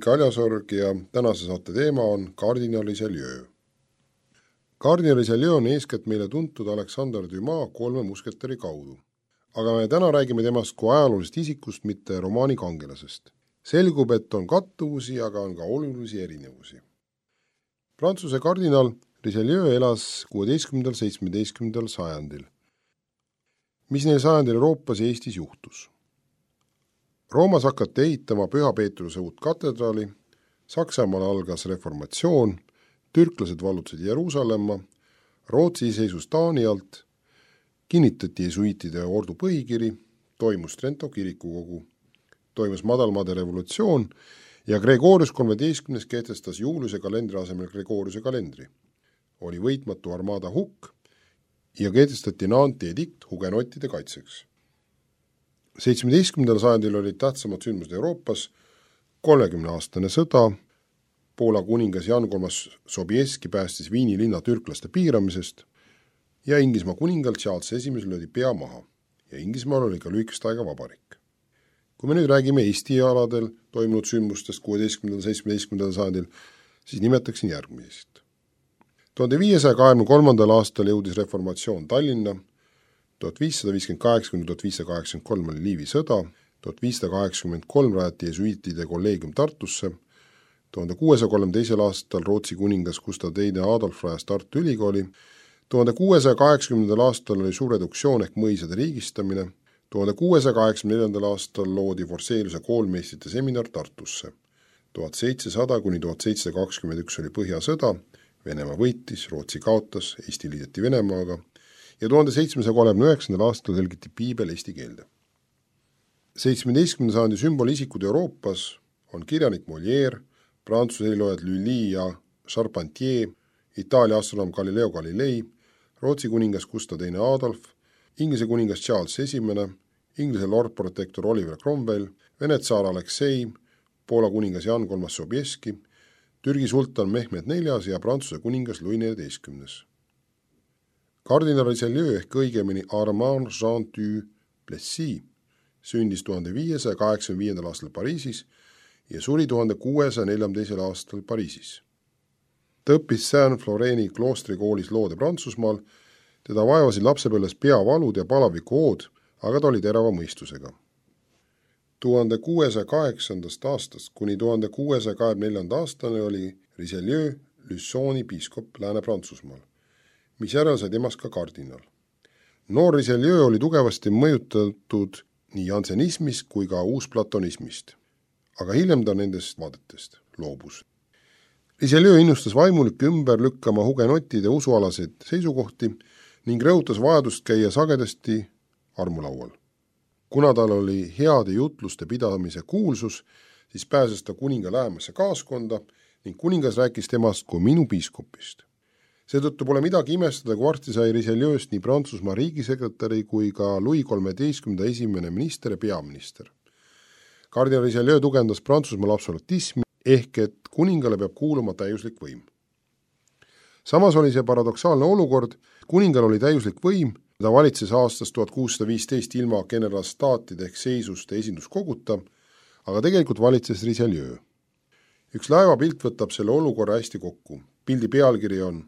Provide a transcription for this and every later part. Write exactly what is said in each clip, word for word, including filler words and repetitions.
Hendrik Aljasorg ja tänase saate teema on kardinal Richelieu. Kardinal Richelieu on eeskätt meile tuntud Alexander Dumas kolme musketäri kaudu, aga me täna räägime temast kui ajaloolisest isikust, mitte romaani kangelasest. Selgub, et on kattuvusi, aga on ka olulisi erinevusi. Prantsuse kardinal Richelieu elas kuueteistkümnendal seitsmeteistkümnendal sajandil. Mis neil sajandil Euroopas ja Eestis juhtus? Roomas hakati ehitama Püha Peetruse uut katedraali, Saksamaal algas reformatsioon, türklased vallutasid Jeruusalemma, Rootsi seisus Taani alt, kinnitati jesuitide ordu põhikiri, toimus Trento kirikukogu, toimus madalmaade revolutsioon ja Gregorius kolmeteistkümnes kehtestas juulise kalendri asemel Gregoriuse kalendri. Oli võitmatu armada hukk ja kehtestati Nanti edikt hugenottide kaitseks. seitsmeteistkümnendal sajandil olid tähtsamad sündmused Euroopas, kolmekümne aastane sõda, Poola kuningas Jan kolmas Sobieski päästis Viini linna türklaste piiramisest ja Inglismaa kuningal Charles esimesel löödi pea maha ja Inglismaal oli ka lühikest aega vabariik. Kui me nüüd räägime Eesti aladel toimunud sündmustest kuueteistkümnendal seitsmeteistkümnendal sajandil, siis nimetaksin järgmisest. tuhande viiesaja kahekümne kolmandal aastal jõudis reformatsioon Tallinna, tuhat viissada viiskümmend kaheksa kuni tuhat viissada kaheksakümmend kolm oli Liivi sõda, tuhat viissada kaheksakümmend kolm rajati jesuitide kolleegium Tartusse, tuhande kuuesaja kolmekümne teisel aastal Rootsi kuningas Gustav teine Adolf rajas Tartu ülikooli, tuhande kuuesaja kaheksakümnendal aastal oli suur reduktsioon ehk mõisade riigistamine, tuhande kuuesaja kaheksakümne neljandal aastal loodi Forseliuse koolmeistrite seminar Tartusse, tuhat seitsesada kuni tuhat seitsesada kakskümmend üks oli Põhjasõda, Venemaa võitis, Rootsi kaotas, Eesti liideti Venemaaga ja tuhande seitsmesaja kolmekümne üheksandal aastal tõlgiti piibel eesti keelde. seitsmeteistkümnenda sajandi sümbolisikud Euroopas on kirjanik Molière, Prantsuse heliloojad Lully ja Charpentier, Itaalia astronoom Galileo Galilei, Rootsi kuningas Gustav teine Adolf, Inglise kuningas Charles esimene, Inglise Lord Protector Oliver Cromwell, Vene tsaar Aleksei, Poola kuningas Jan kolmas Sobieski, Türgi sultan Mehmed neljas ja Prantsuse kuningas Louis neljateistkümnes. Kardinal Richelieu ehk õigemini Armand Jean du Plessis sündis tuhande viiesaja kaheksakümne viiendal aastal Pariisis ja suri tuhande kuuesaja neljakümne teisel aastal Pariisis. Ta õppis Saint-Floreni kloostrikoolis loode Prantsusmaal, teda vaevasid lapsepõlves peavalud ja palavikuhood, aga ta oli terava mõistusega. tuhande kuuesaja kaheksandast aastast kuni tuhande kuuesaja kahekümne neljanda aastane oli Richelieu Lussoni piiskop Lääne-Prantsusmaal, mis järel sai temast ka kardinal. Noor Richelieu oli tugevasti mõjutatud nii jansenismist kui ka uusplatonismist, aga hiljem ta nendest vaadetest loobus. Richelieu innustas vaimulikke ümber lükkama hugenottide usualaseid seisukohti ning rõhutas vajadust käia sagedasti armulaual. Kuna tal oli heade jutluste pidamise kuulsus, siis pääses ta kuninga lähemasse kaaskonda ning kuningas rääkis temast kui minu piiskopist. Seetõttu pole midagi imestada, kui varsti sai Richelieust nii Prantsusmaa riigisekretäri kui ka Louis kolmeteistkümnenda esimene minister ja peaminister. Kardinal Richelieu tugevdas Prantsusmaal absolutismi ehk et kuningale peab kuuluma täiuslik võim. Samas oli see paradoksaalne olukord, kuningal oli täiuslik võim, ta valitses aastast tuhat kuussada viisteist ilma generalstaatide ehk seisuste esinduskoguta, aga tegelikult valitses Richelieu. Üks laevapilt võtab selle olukorra hästi kokku. Pildi pealkiri on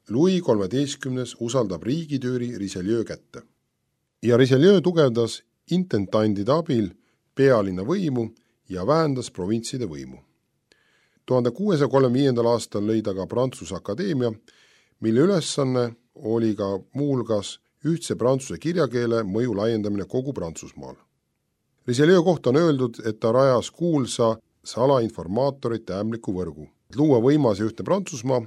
Louis kolmeteistkümnes usaldab riigitüüri Richelieu kätte. Ja Richelieu tugevdas intendantide abil pealinna võimu ja vähendas provintside võimu. tuhande kuuesaja kolmekümne viiendal aastal lõi ta ka Prantsuse akadeemia, mille ülesanne oli ka muulgas ühtse prantsuse kirjakeele mõju laiendamine kogu Prantsusmaal. Richelieu kohta on öeldud, et ta rajas kuulsa salainformaatorite ämbliku võrgu. Luua võimas ja ühtne Prantsusmaa.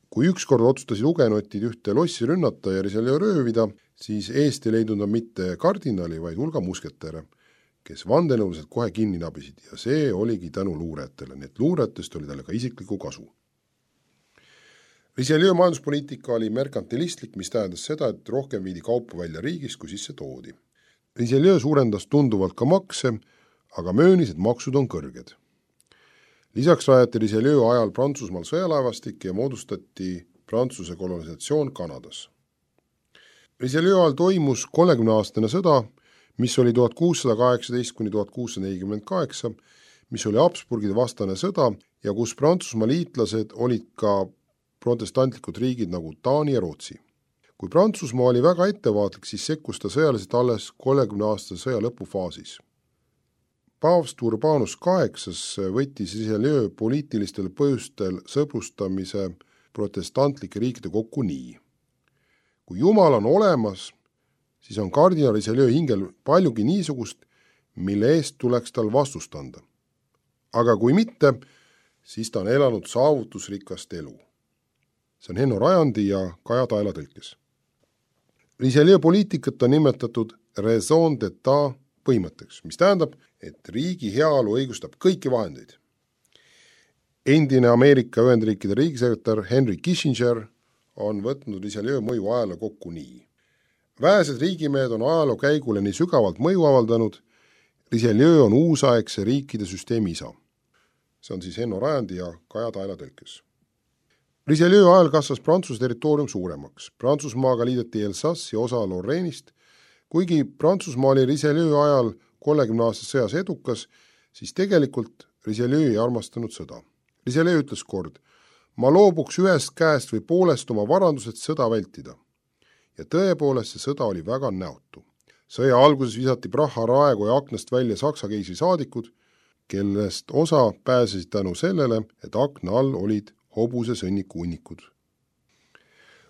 Kui ükskord otsustasid hugenotid ühte lossi rünnata ja Richelieu röövida, siis eest ei leidnud nad mitte kardinali, vaid hulga musketäre, kes vandenõuliselt kohe kinni nabisid ja see oligi tänu luurajatele, nii et luurajatest oli talle ka isikliku kasu. Richelieu majanduspoliitika oli merkantilistlik, mis tähendas seda, et rohkem viidi kaupu välja riigis, kui sisse toodi. Richelieu suurendas tunduvalt ka makse, aga möönis, et maksud on kõrged. Lisaks rajati Richelieu ajal Prantsusmaal sõjalaevastik ja moodustati Prantsuse kolonisatsioon Kanadas. Richelieu ajal toimus kolmekümne aastane sõda, mis oli tuhat kuussada kaheksateist kuni tuhat kuussada nelikümmend kaheksa, mis oli Habsburgide vastane sõda ja kus Prantsusmaa liitlased olid ka protestantlikud riigid nagu Taani ja Rootsi. Kui Prantsusmaa oli väga ettevaatlik, siis sekkus ta sõjaliselt alles kolmekümne aastase sõja lõpufaasis. Paavst Urbanus kaheksas võttis Richelieu poliitilistel põhjustel sõprustamise protestantlike riikide kokku nii. Kui Jumal on olemas, siis on kardinal Richelieu hingel paljugi niisugust, mille eest tuleks tal vastust anda. Aga kui mitte, siis ta on elanud saavutusrikast elu. See on Henno Rajandi ja Kaja Taela tõlkes. Richelieu poliitikat on nimetatud raison d'etat põhimõtteks, mis tähendab, et riigi heaolu õigustab kõiki vahendeid. Endine Ameerika Ühendriikide riigisekretär Henry Kissinger on võtnud Richelieu mõju ajaloo kokku nii. Vähesed riigimehed on ajaloo käigule nii sügavalt mõju avaldanud, Richelieu on uusaegse riikide süsteemi isa. See on siis Henno Rajandi ja Kaja Taela tõlkes. Richelieu ajal kasvas Prantsuse territoorium suuremaks. Prantsusmaaga liideti Elsass ja osa Lorrainist. Kuigi Prantsusmaa oli Richelieu ajal kolmekümne aastas sõjas edukas, siis tegelikult Richelieu ei armastanud sõda. Richelieu ütles kord, ma loobuks ühest käest või poolest oma varandused sõda vältida. Ja tõepoolest see sõda oli väga näotu. Sõja alguses visati Praha raekoja aknast välja Saksa keisri saadikud, kellest osa pääsesid tänu sellele, et akna all olid hobuse sõnniku hunnikud.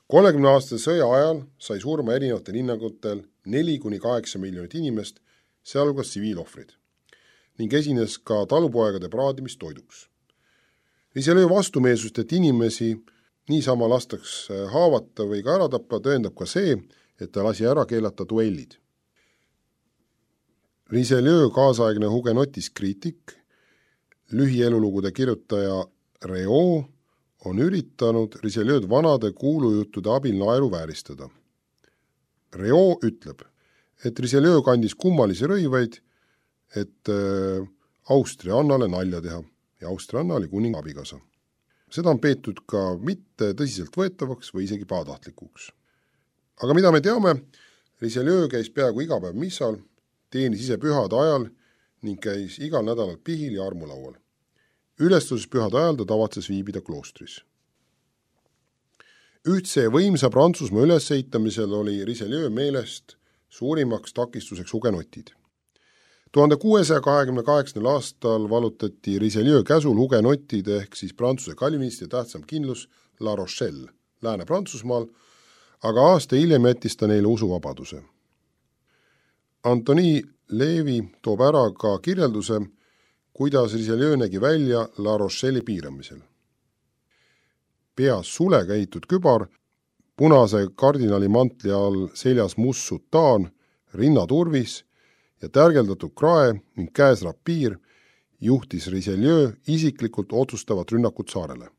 kolmekümne aastase sõja ajal sai surma erinevatel hinnangutel neli kuni kaheksa miljonit inimest, sealhulgas tsiviilohvrid, ning esines ka talupoegade praadimistoiduks. Richelieu vastumeelsust, et inimesi niisama lastaks haavata või ka ära tappa, tõendab ka see, et ta lasi ära keelata duellid. Richelieu kaasaegne hugenotis kriitik, lühielulugude kirjutaja Réau on üritanud Richelieud vanade kuulujuttude abil naeru vääristada. Réau ütleb, et Richelieu kandis kummalisi rõivaid, et Austria Annale nalja teha ja Austria Anna oli kuninga abikasa. Seda on peetud ka mitte tõsiselt võetavaks või isegi pahatahtlikuks. Aga mida me teame, Richelieu käis peaaegu iga päev missal, teenis ise pühade ajal ning käis igal nädalal pihil ja armulaual. Ülestuses pühade ajal ta tavatses viibida kloostris. Ühtse võimsa Prantsusmaa ülesehitamisel oli Richelieu meelest suurimaks takistuseks hugenotid. tuhande kuuesaja kahekümne kaheksandal aastal valutati Richelieu käsul hugenotid ehk siis Prantsuse kalviniste tähtsam kindlus La Rochelle, Lääne-Prantsusmaal, aga aasta hiljem jättis ta neile usuvabaduse. Antoni Leevi toob ära ka kirjelduse, kuidas Richelieu nägi välja La Rochelle'i piiramisel. Peas sulega ehitud kübar, punase kardinali mantli all seljas must sutaan, rinnaturvis ja tärgeldatud krae ning käes rapiir juhtis Richelieu isiklikult otsustavat rünnakut saarele.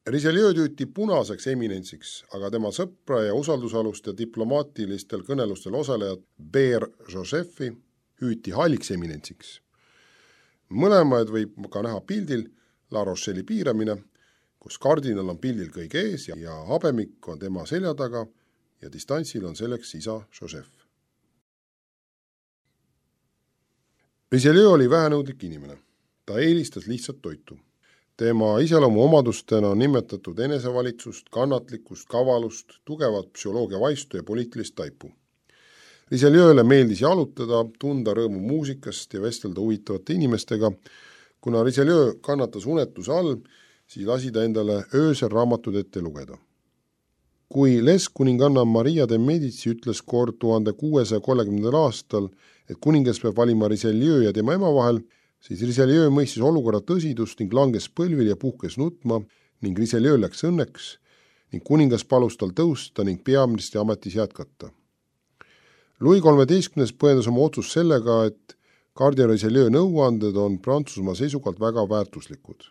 Richelieu tüüti punaseks eminentsiks, aga tema sõpra ja usaldusalust ja diplomaatilistel kõnelustel osalejad Beer Josephi hüüti halliks eminentsiks. Mõlemaid võib ka näha pildil La Rochelle'i piiramine, kus kardinal on pildil kõige ees ja habemik on tema selja taga ja distantsil on selleks isa Joseph. Richelieu oli vähenõudlik inimene. Ta eelistas lihtsat toitu. Tema iseloomu omadustena on nimetatud enesevalitsust, kannatlikkust, kavalust, tugevat psühholoogia vaistu ja poliitilist taipu. Richelieule meeldis jalutada, tunda rõõmu muusikast ja vestelda huvitavate inimestega. Kuna Richelieu kannatas unetuse all, siis lasi ta endale öösel raamatud ette lugeda. Kui Les kuninganna Maria de Medici ütles kord tuhande kuuesaja kolmekümnendal aastal, et kuningas peab valima Richelieu ja tema ema vahel, siis Richelieu mõistis olukorra tõsidust ning langes põlvil ja puhkes nutma ning Richelieu läks õnneks ning kuningas palus tal tõusta ning peaministri ametis jätkata. Louis kolmeteistkümnes põhjendas oma otsus sellega, et kardinal Richelieu nõuanded on Prantsusmaa seisukohalt väga väärtuslikud.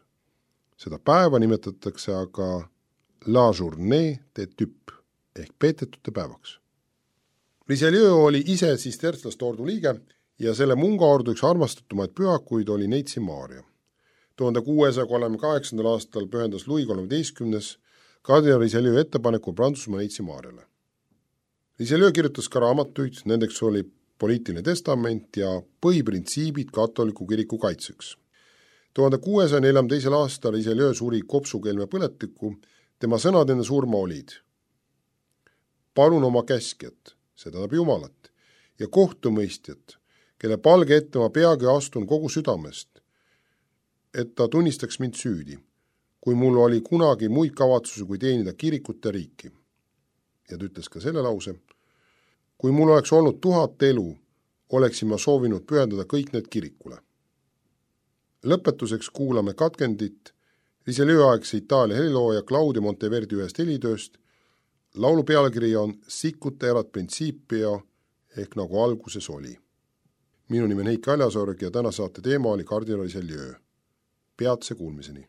Seda päeva nimetatakse aga La Journée de Tüpp ehk peetetute päevaks. Richelieu oli ise sistertslaste ordu liige ja selle mungaordu üks armastatumaid pühakuid oli Neitsi Maaria. tuhande kuuesaja kolmekümne kaheksandal aastal pühendas Louis kolmeteistkümnes kardinal Richelieu ettepaneku Prantsusmaa Neitsi Maariale. Richelieu kirjutas ka raamatuid, nendeks oli poliitiline testament ja põhiprintsiibid katoliku kiriku kaitseks. tuhande kuuesaja neljakümne teisel aastal Richelieu suri kopsukeelme põletiku, tema sõnad enne surma olid: palun oma käskjat, see tähendab Jumalat, ja kohtumõistjat, kelle palge ette ma peagi astun kogu südamest, et ta tunnistaks mind süüdi, kui mul oli kunagi muid kavatsusi kui teenida kirikut ja riiki. Ja ta ütles ka selle lause: kui mul oleks olnud tuhat elu, oleksin ma soovinud pühendada kõik need kirikule. Lõpetuseks kuulame katkendit Richelieu aegse Itaalia helilooja Claudio Monteverdi ühest helitööst. Laulu pealkiri on Sicut erat principio ehk nagu alguses oli. Minu nimi on Heiki Aljasorg ja täna saate teema oli kardinal Richelieu. Peatse kuulmiseni.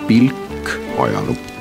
Pilk ajalukku.